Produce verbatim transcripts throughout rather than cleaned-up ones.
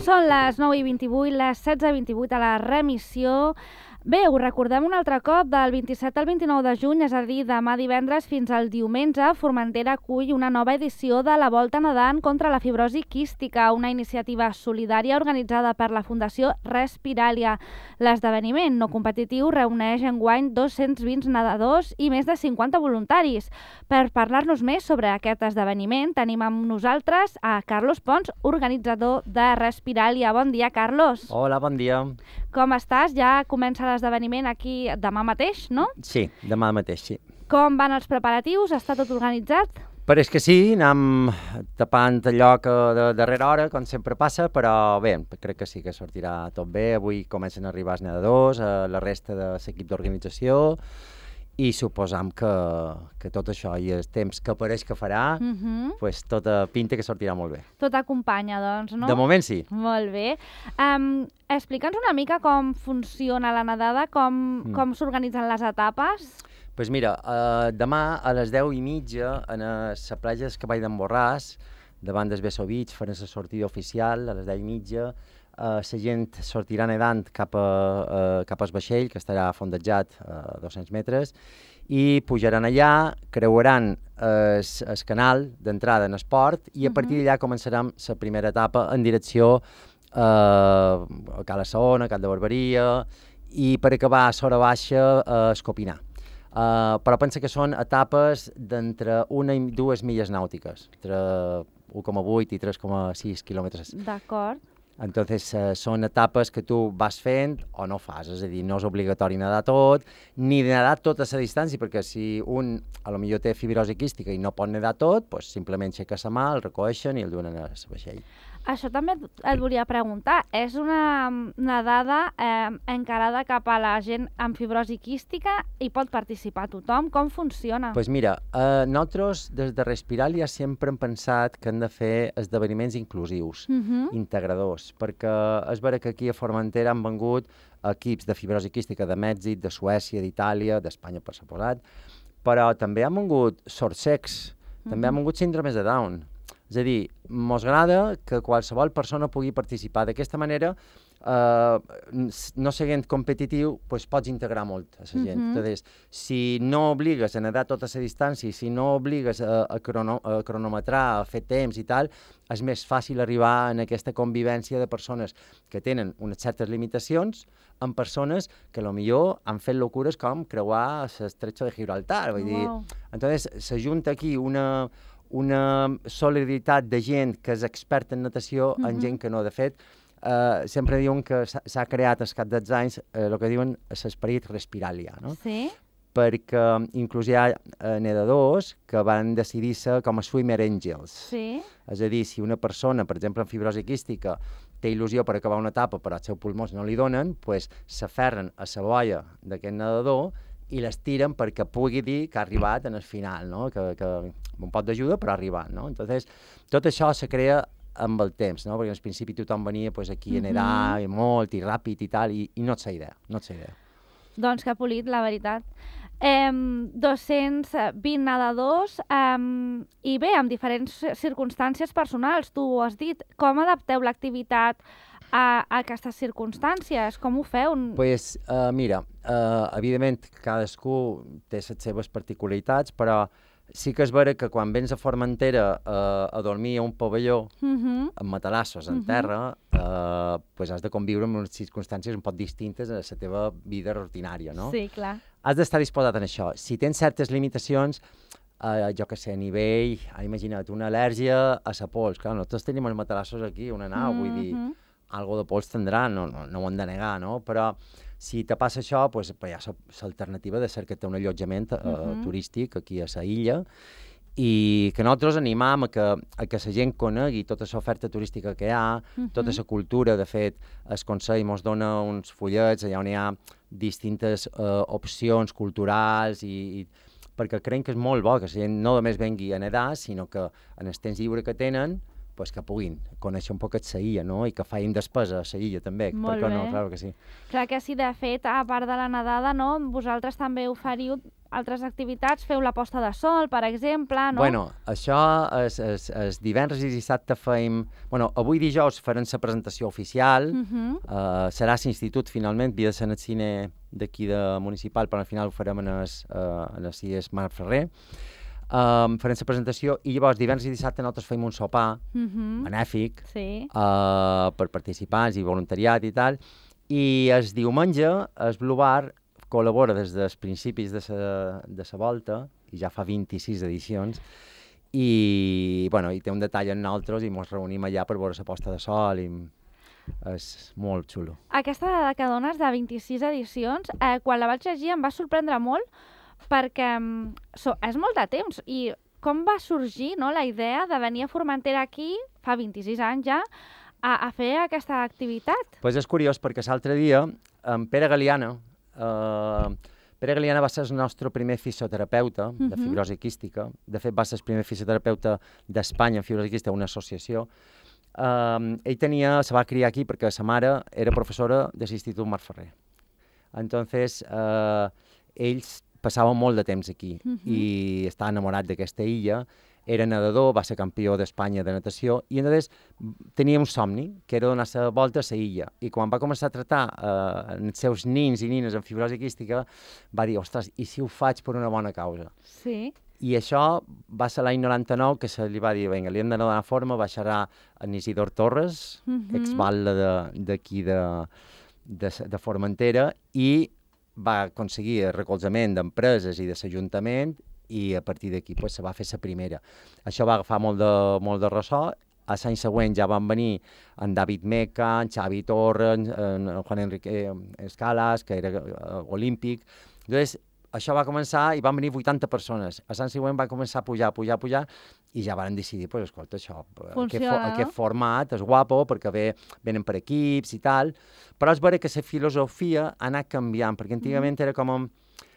Són les nou i vint-i-vuit, les setze i vint-i-vuit a la remissió. Bé, ho recordem un altre cop, del vint-i-set al vint-i-nou de juny, és a dir, demà divendres fins al diumenge, Formentera acull una nova edició de la Volta Nedant contra la fibrosi quística, una iniciativa solidària organitzada per la Fundació Respiralia. L'esdeveniment no competitiu reuneix enguany dos-cents vint nedadors i més de cinquanta voluntaris. Per parlar-nos més sobre aquest esdeveniment, tenim amb nosaltres a Carlos Pons, organitzador de Respiralia. Bon dia, Carlos. Hola, bon dia. Com estàs? Ja comença l'esdeveniment aquí demà mateix, no? Sí, demà mateix, sí. Com van els preparatius? Està tot organitzat? Pareix que sí, anem tapant allò que de darrera hora, com sempre passa, però bé, crec que sí que sortirà tot bé. Avui comencen a arribar els nedadors, a la resta de l'equip d'organització, i suposam que, que tot això i el temps que pareix que farà, Uh-huh. pues, tota pinta que sortirà molt bé. Tot acompanya, doncs, no? De moment sí. Molt bé. Um, Explica'ns una mica com funciona la nedada, com, Mm. com s'organitzen les etapes. Doncs pues mira, uh, demà a les deu i mitja, a la platja del Cavall d'en Borràs, davant del Beso Beach, farà la sortida oficial a les deu i mitja. Uh, la gent sortirà nedant cap, a, uh, cap al vaixell, que estarà fondejat a dos-cents metres, i pujaran allà, creuaran el uh, canal d'entrada en el port, i a Mhm. partir d'allà començarem la primera etapa en direcció uh, a Cala Saona, a Cat de Barberia, i per acabar a Sora Baixa a Escopinar. Uh, però pensa que són etapes d'entre una i dues milles nàutiques, entre un coma vuit i tres coma sis quilòmetres. D'acord. Entonces, uh, són etapes que tu vas fent o no fas, és a dir, no és obligatori nedar tot, ni nedar tota la distància, perquè si un, a lo millor té fibrosi quística i no pot nedar tot, pues, simplement aixeca la mà, el recoeixen i el duen a la vaixell. Això també et volia preguntar. És una nedada eh, encarada cap a la gent amb fibrosi quística i pot participar tothom? Com funciona? Doncs pues mira, eh, nosaltres des de Respiralia sempre hem pensat que hem de fer esdeveniments inclusius, Uh-huh. integradors, perquè és vera que aquí a Formentera han vengut equips de fibrosi quística de Mèxic, de Suècia, d'Itàlia, d'Espanya, per suposat, però també han vengut sords-cecs, també han vengut síndromes de Down. És a dir, mos agrada que qualsevol persona pugui participar. D'aquesta manera, eh, no sent competitiu, pues, pots integrar molt a la gent. Mhm. Entonces, si no obligues a nedar tota la distància, si no obligues a, a, crono, a cronometrar, a fer temps i tal, és més fàcil arribar en aquesta convivència de persones que tenen unes certes limitacions amb persones que potser han fet locures com creuar l'estretxo de Gibraltar. Vull dir, Wow. entonces, s'ajunta aquí una una solidaritat de gent que és experta en natació Mhm. en gent que no. De fet, eh, sempre diuen que s'ha s'ha creat al cap dels anys eh, el que diuen l'esperit Respiralia, no? Sí? Perquè inclús hi ha eh, nedadors que van decidir-se com a swimmer angels. Sí? És a dir, si una persona, per exemple, amb fibrosi quística, té il·lusió per acabar una etapa però els seus pulmons no li donen, pues, s'aferren a la boia d'aquest nedador i les tiren perquè pugui dir que ha arribat en el final, no? que, que un pot d'ajuda però ha arribat. No? Entonces, tot això se crea amb el temps, no? Perquè al principi tothom venia pues, aquí a nedar Mhm. i molt i ràpid i tal, i, i no és la idea, no és la idea. Doncs que polit, la veritat. Eh, dos-cents vint nedadors eh, i bé, amb diferents circumstàncies personals, tu ho has dit. Com adapteu l'activitat a, a aquestes circumstàncies? Com ho feu? Pues, uh, mira, uh, evidentment cadascú té les seves particularitats, però sí que és vera que quan vens a Formentera uh, a dormir a un pavelló Uh-huh. amb matalassos en Mhm. terra, uh, pues has de conviure amb unes circumstàncies un poc distintes a la teva vida rutinària, no? Sí, clar. Has d'estar disposat en això. Si tens certes limitacions, uh, jo que sé, a nivell, ah, imagina't, una al·lèrgia a la pols. Clar, nosaltres tenim els matalassos aquí, una nau, vull dir, Mhm. algo de pols tindrà, no, no, no ho hem de negar, no? Però si te passa això, pues, pues hi ha l'alternativa de cercar-te un allotjament uh, Mhm. turístic aquí a la illa, i que nosaltres animam a que, a que la gent conegui tota l'oferta turística que hi ha, tota la cultura. De fet, el Consell ens dona uns fullets allà on hi ha distintes uh, opcions culturals, i, i perquè creiem que és molt bo que la gent no només vengui a nedar, sinó que en el temps lliure que tenen pues, que puguin conèixer un poquet la illa, no? I que facin despesa a la illa també, Molt per què bé. no? Clar que sí. Clar que sí, de fet, a part de la nedada, no? Vosaltres també oferiu altres activitats, feu la posta de sol, per exemple, no? Bueno, això és, és, és divendres i dissabte feim... Bueno, avui dijous farem la presentació oficial, Uh -huh. uh, serà a l'institut finalment, havia de ser en el cine d'aquí de municipal, però al final ho farem en el, uh, en el C I E S Marc Ferrer. Um, farem la presentació i llavors divendres i dissabte nosaltres feim un sopar Uh -huh. benèfic Sí. uh, per participants i voluntariat i tal, i el diumenge el Blue Bar col·labora des dels principis de sa, de sa volta, i ja fa vint-i-sis edicions, i, bueno, i té un detall en nosaltres i ens reunim allà per veure la posta de sol i és molt xulo. Aquesta dada que dones de vint-i-sis edicions, eh, quan la vaig llegir em va sorprendre molt perquè mm, so, és molt de temps i com va sorgir, no, la idea de venir a Formentera aquí, fa vint-i-sis anys ja, a, a fer aquesta activitat? Pues és curiós perquè l'altre dia en Pere Galiana, eh, Pere Galiana va ser el nostre primer fisioterapeuta uh -huh. de fibrosi quística, de fet va ser el primer fisioterapeuta d'Espanya en fibrosi quística, una associació. Uh, ell tenia, se va criar aquí perquè sa mare era professora de l'Institut Marc Ferrer. Entonces, uh, ells passaven molt de temps aquí uh -huh. i estava enamorat d'aquesta illa, era nedador, va ser campió d'Espanya de natació i entonces tenia un somni, que era donar la volta a la illa. I quan va començar a tractar uh, els seus nins i nines amb fibrosi quística, va dir, ostres, i si ho faig per una bona causa? Sí. I això va ser l'any noranta-nou que se li va dir, vinga, li hem de donar forma, va xerrar en Isidor Torres, uh -huh. exbatlle d'aquí de, de, de, de Formentera, i va aconseguir el recolzament d'empreses i de l'Ajuntament i a partir d'aquí pues, se va fer la primera. Això va agafar molt de, molt de ressò. A l'any següent ja van venir en David Meca, en Xavi Torres, en, en Juan Enrique Escalas, que era uh, olímpic. Llavors, això va començar i van venir vuitanta persones. A l'any següent va començar a pujar, pujar, pujar, i ja van decidir, pues, escolta, això, aquest, fo aquest format és guapo, perquè ve, venen per equips i tal, però és vera que la filosofia ha anat canviant, perquè antigament mm. era com un,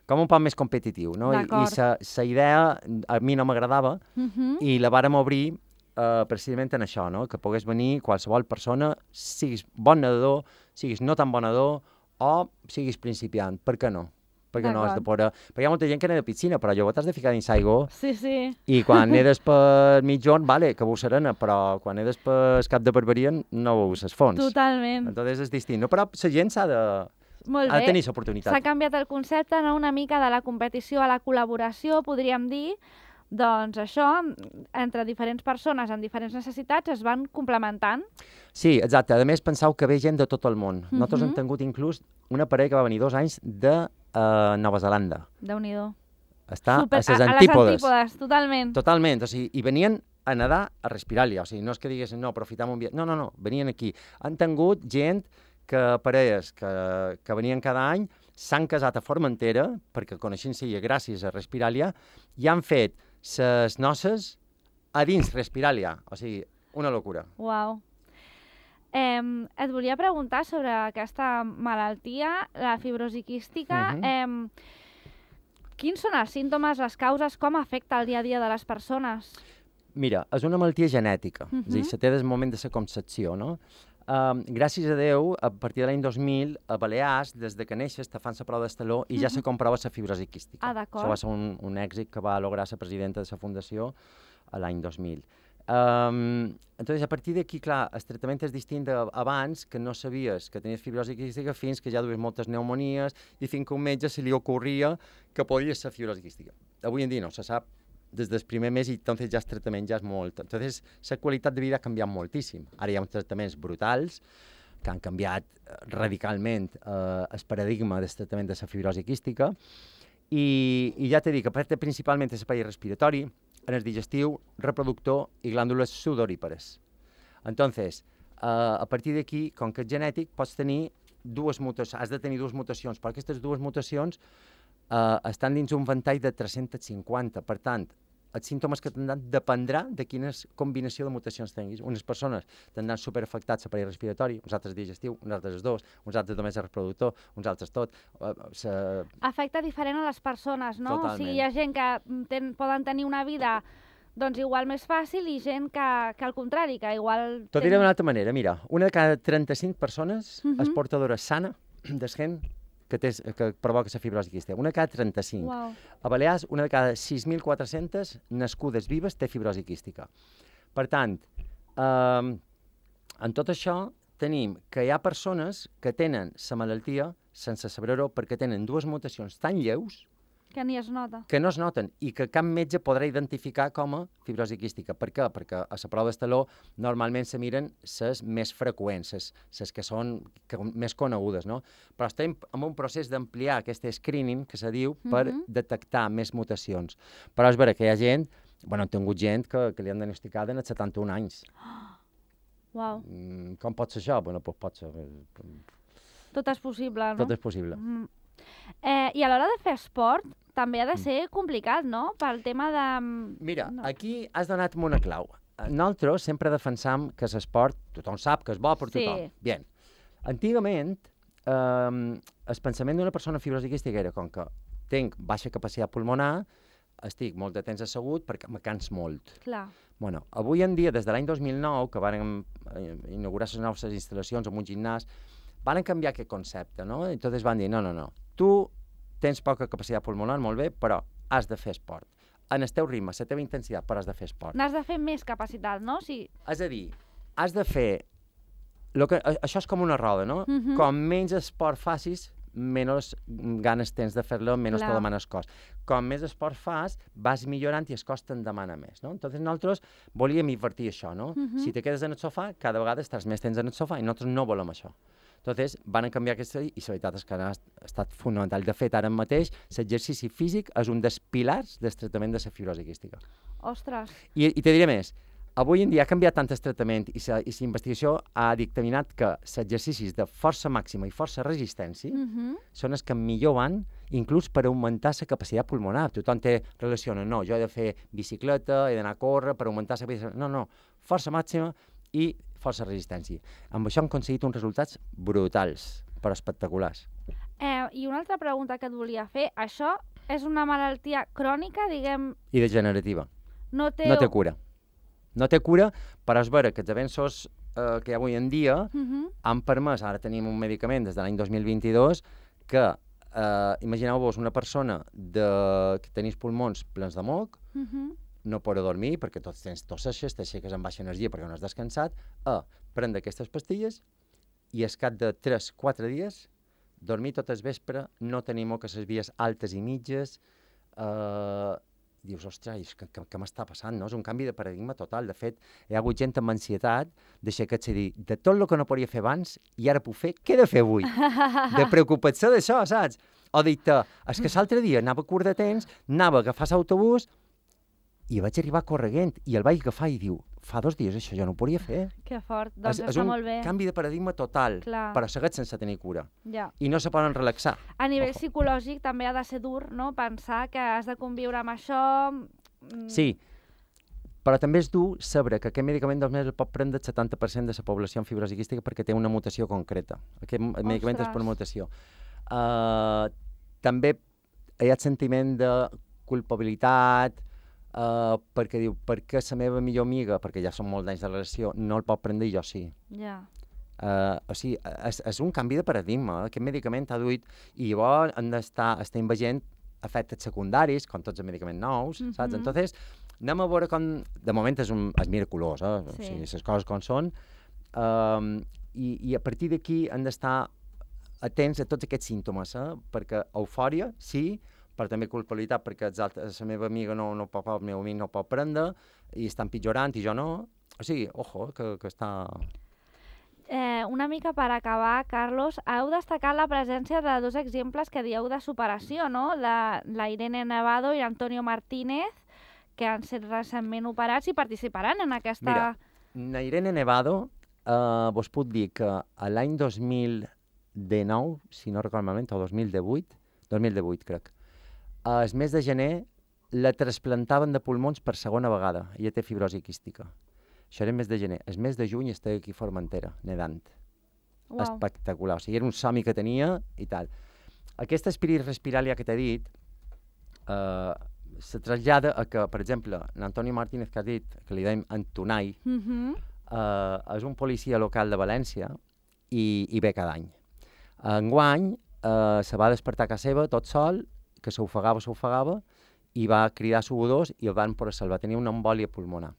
com un poc més competitiu, no? I, i la idea a mi no m'agradava, uh -huh. i la vàrem obrir uh, precisament en això, no? Que pogués venir qualsevol persona, siguis bon nedador, siguis no tan bon nedador, o siguis principiant, per què no? Perquè no has de poder... Perquè hi ha molta gent que neda a piscina, però llavors t'has de ficar dins l'aigua. Sí, sí. I quan nedes per mitjon, vale, que veus serena, però quan nedes per cap de barberia no veus els fons. Totalment. Entonces és distint. No? Però la gent s'ha de... Molt ha de tenir l'oportunitat. S'ha canviat el concepte, no? Una mica de la competició a la col·laboració, podríem dir. Doncs això, entre diferents persones amb diferents necessitats, es van complementant. Sí, exacte. A més, penseu que ve gent de tot el món. Uh -huh. Nosaltres hem tingut inclús una parella que va venir dos anys de uh, Nova Zelanda. Déu-n'hi-do. Està Super, a les antípodes. antípodes. A les antípodes, totalment. Totalment. O sigui, i venien a nedar a Respiràlia. O sigui, no és que diguessin, no, aprofitam un viatge. No, no, no. Venien aquí. Han tingut gent que parelles que, que venien cada any s'han casat a Formentera, perquè coneixent-se gràcies a Respiràlia, i han fet les noces a dins Respiràlia. O sigui, una locura. Uau. Eh, et volia preguntar sobre aquesta malaltia, la fibrosi quística. Uh -huh. eh, quins són els símptomes, les causes, com afecta el dia a dia de les persones? Mira, és una malaltia genètica, uh -huh. és a dir, se té des del moment de la concepció, no? Um, gràcies a Déu, a partir de l'any dos mil, a Balears, des de que neixes, te fan la prova d'estaló i ja se comprova la fibrosi quística. Ah, d'acord. Això va ser un, un èxit que va lograr la presidenta de la Fundació a l'any dos mil. Um, entonces, a partir d'aquí, clar, el tractament és distint d'abans, que no sabies que tenies fibrosi quística fins que ja duies moltes pneumonies i fins que un metge se li ocorria que podia ser fibrosi quística. Avui en dia no, se sap des del primer mes i entonces ja el tractament ja és molt. Entonces, la qualitat de vida ha canviat moltíssim. Ara hi ha uns tractaments brutals que han canviat radicalment eh, el paradigma del tractament de la fibrosi quística i, i ja t'he dit que afecta principalment el l'espai respiratori, en el digestiu, reproductor i glàndules sudorípares. Entonces, eh, a partir d'aquí, com que és genètic, pots tenir dues mutacions, has de tenir dues mutacions, però aquestes dues mutacions eh, estan dins un ventall de tres-cents cinquanta. Per tant, els símptomes que tindran dependrà de quina combinació de mutacions tinguis. Unes persones tindran superafectats l'aparell respiratori, uns altres digestiu, uns altres dos, uns altres només el reproductor, uns altres tot. Uh, se... Afecta diferent a les persones, no? Totalment. O sigui, hi ha gent que ten, poden tenir una vida doncs igual més fàcil i gent que, que al contrari, que igual... T'ho diré d'una altra manera, mira, una de cada trenta-cinc persones Mhm. és portadora sana d'esquent que, té, que provoca la fibrosi quística. Una de cada trenta-cinc. Uau. A Balears, una de cada sis mil quatre-centes nascudes vives té fibrosi quística. Per tant, eh, en tot això tenim que hi ha persones que tenen la malaltia sense saber-ho perquè tenen dues mutacions tan lleus Que ni es nota. que no es noten i que cap metge podrà identificar com a fibrosi quística. Per què? Perquè a la prova d'estaló normalment se miren les més freqüents, les que són que, més conegudes, no? Però estem en un procés d'ampliar aquest screening, que se diu, per Mhm. detectar més mutacions. Però és vera que hi ha gent, bueno, hem tingut gent que, que li han diagnosticat en els setanta-un anys. Uau. Mm, com pot ser això? Bueno, doncs pot ser. Tot és possible, no? Tot és possible. Mm. Eh, I a l'hora de fer esport també ha de ser complicat, no? Pel tema de... Mira, no. aquí has donat una clau. Nosaltres sempre defensam que l'esport, tothom sap que és bo per Sí. tothom. Bien. Antigament, eh, el pensament d'una persona amb fibrosi quística era com que tinc baixa capacitat pulmonar, estic molt de temps assegut perquè me cans molt. Clar. Bueno, avui en dia, des de l'any dos mil nou, que van eh, inaugurar les noves instal·lacions en un gimnàs, van canviar aquest concepte, no? I entonces van dir, no, no, no, tu tens poca capacitat pulmonar, molt bé, però has de fer esport. En el teu ritme, la teva intensitat, però has de fer esport. N'has de fer més capacitat, no? Sí. És a dir, has de fer... Lo que, a- això és com una roda, no? Mhm. Com menys esport facis, menys ganes tens de fer-lo, menys Clar. te demana el cos. Com més esport fas, vas millorant i el cos te'n demana més, no? Entonces nosaltres volíem invertir això, no? Mhm. Si te quedes en el sofà, cada vegada estàs més temps en el sofà i nosaltres no volem això. Entonces, van canviar aquesta i la veritat és que ha estat fonamental. De fet, ara mateix, l'exercici físic és un dels pilars del tractament de la fibrosi quística. Ostres. I, i te diré més, avui en dia ha canviat tant el tractament i la investigació ha dictaminat que els exercicis de força màxima i força resistència Mhm. són els que millor van, inclús per augmentar la capacitat pulmonar. Tothom té relaciona, no, jo he de fer bicicleta, he d'anar a córrer per augmentar la capacitat... No, no, força màxima i força resistència. Amb això hem aconseguit uns resultats brutals, però espectaculars. Eh, I una altra pregunta que et volia fer. Això és una malaltia crònica, diguem... I degenerativa. No té... No té cura. No té cura, però és vera que els avenços eh, que hi ha avui en dia Mhm. han permès, ara tenim un medicament des de l'any dos mil vint-i-dos, que, eh, imagineu-vos una persona de, que tenis pulmons plens de moc, Mhm. no podrà dormir perquè tots tens tosseixes, t'aixeques amb baixa energia perquè no has descansat, a prendre aquestes pastilles i al cap de tres quatre dies dormir tot el vespre, no tenir moc a les vies altes i mitges, eh, dius, ostres, què, què, què m'està passant? No? És un canvi de paradigma total. De fet, hi ha hagut gent amb ansietat, deixa que et sé dir, de tot el que no podia fer abans i ara puc fer, què he de fer avui? De preocupar-se d'això, saps? O dir-te, és que l'altre dia anava curt de temps, anava a agafar l'autobús i vaig arribar correguent i el vaig agafar i diu, fa dos dies això jo no ho podia fer. Que fort. Doncs és, és està un molt bé. canvi de paradigma total, Clar. però segueix sense tenir cura. Ja. I no se poden relaxar. A nivell Ojo. psicològic també ha de ser dur, no? Pensar que has de conviure amb això... mm, Sí, però també és dur saber que aquest medicament només el pot prendre el setanta per cent de la població amb fibrosi quística perquè té una mutació concreta. Aquest m- medicament és per Ostres. mutació. Uh, també hi ha el sentiment de culpabilitat, uh, perquè diu, per què la meva millor amiga, perquè ja són molts anys de relació, no el pot prendre i jo sí. Ja. Uh, o sigui, és, és un canvi de paradigma. eh? Aquest medicament ha duit i llavors han d'estar estem veient efectes secundaris, com tots els medicaments nous, mm -hmm. saps? Mhm. Entonces, anem a veure com... De moment és, un, és miraculós, eh? Sí. O sigui, les coses com són. Um, i, I a partir d'aquí han d'estar atents a tots aquests símptomes, eh? Perquè eufòria, sí, però també culpabilitat, perquè els altres, la meva amiga no, no pot, el meu amic no pot prendre, i està empitjorant i jo no. O sigui, ojo, que, que està... Eh, una mica per acabar, Carlos, heu destacat la presència de dos exemples que dieu de superació, no? La, la Irene Nevado i l'Antonio Martínez, que han estat recentment operats i participaran en aquesta... Mira, na Irene Nevado, eh, vos puc dir que a l'any dos mil dinou, si no recordo malament, o dos mil divuit, dos mil divuit crec, al mes de gener la trasplantaven de pulmons per segona vegada. Ella té fibrosi quística. Això era el mes de gener. El mes de juny estava aquí a Formentera, nedant. Uau. Espectacular. O sigui, era un somni que tenia i tal. Aquest espirit respiràlia que t'he dit, eh, se trasllada a que, per exemple, l'Antonio Martínez que has dit, que li deim Antonai, uh -huh. eh, és un policia local de València i, i ve cada any. Enguany eh, se va despertar a casa seva tot sol, que s'ofegava, s'ofegava, i va cridar a subodors i el van poder salvar. Tenia una embòlia pulmonar.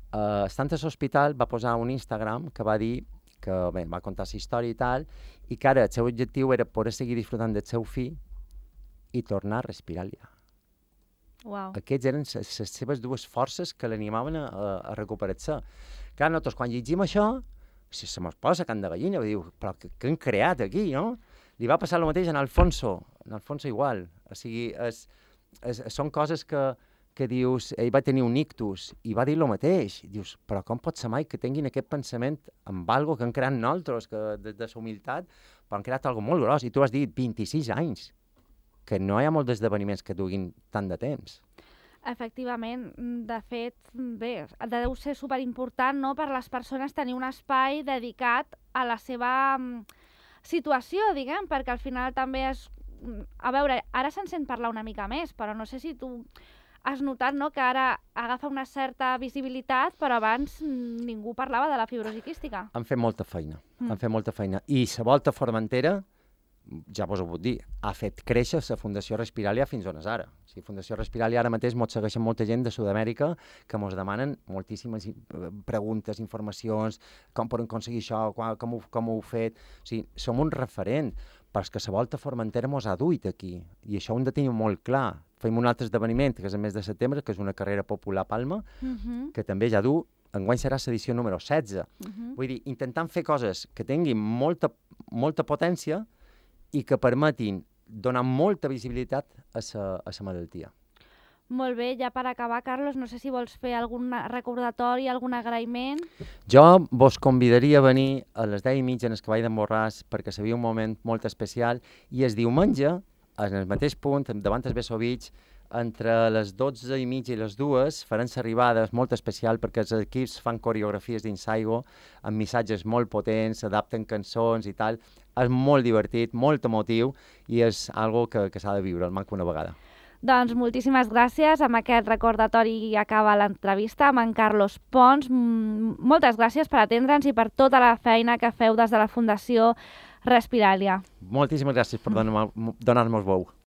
Uh, estant a l'hospital va posar un Instagram que va dir que bé, va contar la història i tal, i que ara el seu objectiu era poder seguir disfrutant del seu fill i tornar a respirar-li. Wow. Aquests eren les seves dues forces que l'animaven a, a, a recuperar-se. Clar, nosaltres quan llegim això, si se mos posa can de gallina, diu, però què, què han creat aquí, no? Li va passar el mateix en Alfonso, en Alfonso igual. O sigui, és, és, són coses que, que dius, ell va tenir un ictus i va dir el mateix. Dius, però com pot ser mai que tinguin aquest pensament amb algo que han creat nosaltres, que des de la humilitat, però han creat algo molt gros. I tu has dit vint-i-sis anys, que no hi ha molts esdeveniments que duguin tant de temps. Efectivament, de fet, bé, deu ser superimportant, no?, per les persones tenir un espai dedicat a la seva situació, diguem, perquè al final també és... A veure, ara se'n sent parlar una mica més, però no sé si tu has notat, no?, que ara agafa una certa visibilitat, però abans ningú parlava de la fibrosi quística. Han fet molta feina, mm. han fet molta feina. I la Volta Formentera, ja vos ho puc dir, ha fet créixer la Fundació Respiralia fins on és ara. O sigui, Fundació Respiralia ara mateix mos segueixen molta gent de Sud-amèrica que mos demanen moltíssimes preguntes, informacions, com poden aconseguir això, com ho, com ho heu fet. O sigui, som un referent, però és que la Volta Formentera mos ha duit aquí, i això ho hem de tenir molt clar. Fem un altre esdeveniment, que és el mes de setembre, que és una carrera popular a Palma, uh-huh. que també ja du, enguany serà l'edició número setze. Uh-huh. Vull dir, intentant fer coses que tinguin molta, molta potència i que permetin donar molta visibilitat a la malaltia. Molt bé, ja per acabar, Carlos, no sé si vols fer algun recordatori, algun agraïment. Jo vos convidaria a venir a les deu i mitja en el Cavall d'en Borràs perquè seria un moment molt especial, i el diumenge, en el mateix punt, davant el Bessovich, entre les dotze i mitja i les dues, faran l'arribada molt especial perquè els equips fan coreografies d'ensaigo amb missatges molt potents, adapten cançons i tal. És molt divertit, molt emotiu, i és algo que, que s'ha de viure, almenys una vegada. Doncs moltíssimes gràcies. Amb aquest recordatori acaba l'entrevista amb en Carlos Pons. Moltes gràcies per atendre'ns i per tota la feina que feu des de la Fundació Respiralia. Moltíssimes gràcies per donar-nos veu.